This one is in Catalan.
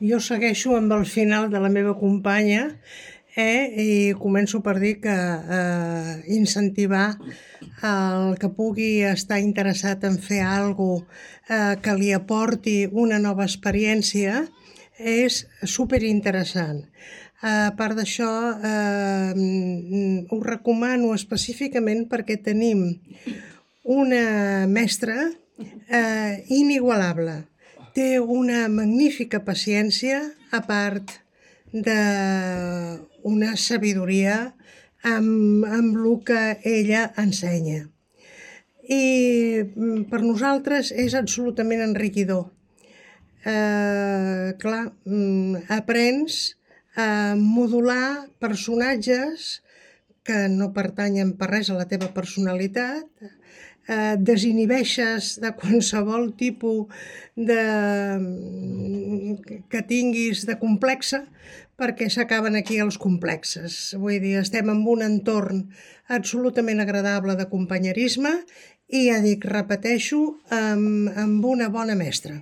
Jo segueixo amb el final de la meva companya, i començo per dir que incentivar el que pugui estar interessat en fer alguna cosa que li aporti una nova experiència és superinteressant. A part d'això, ho recomano específicament perquè tenim una mestra inigualable. Té una magnífica paciència, a part d'una sabidoria amb el que ella ensenya. I per nosaltres és absolutament enriquidor. Clar, aprens a modular personatges que no pertanyen per res a la teva personalitat, desinhibeixes de qualsevol tipus que tinguis de complexa, perquè s'acaben aquí els complexes. Vull dir, estem en un entorn absolutament agradable de companyerisme i ja dic, repeteixo, amb una bona mestra.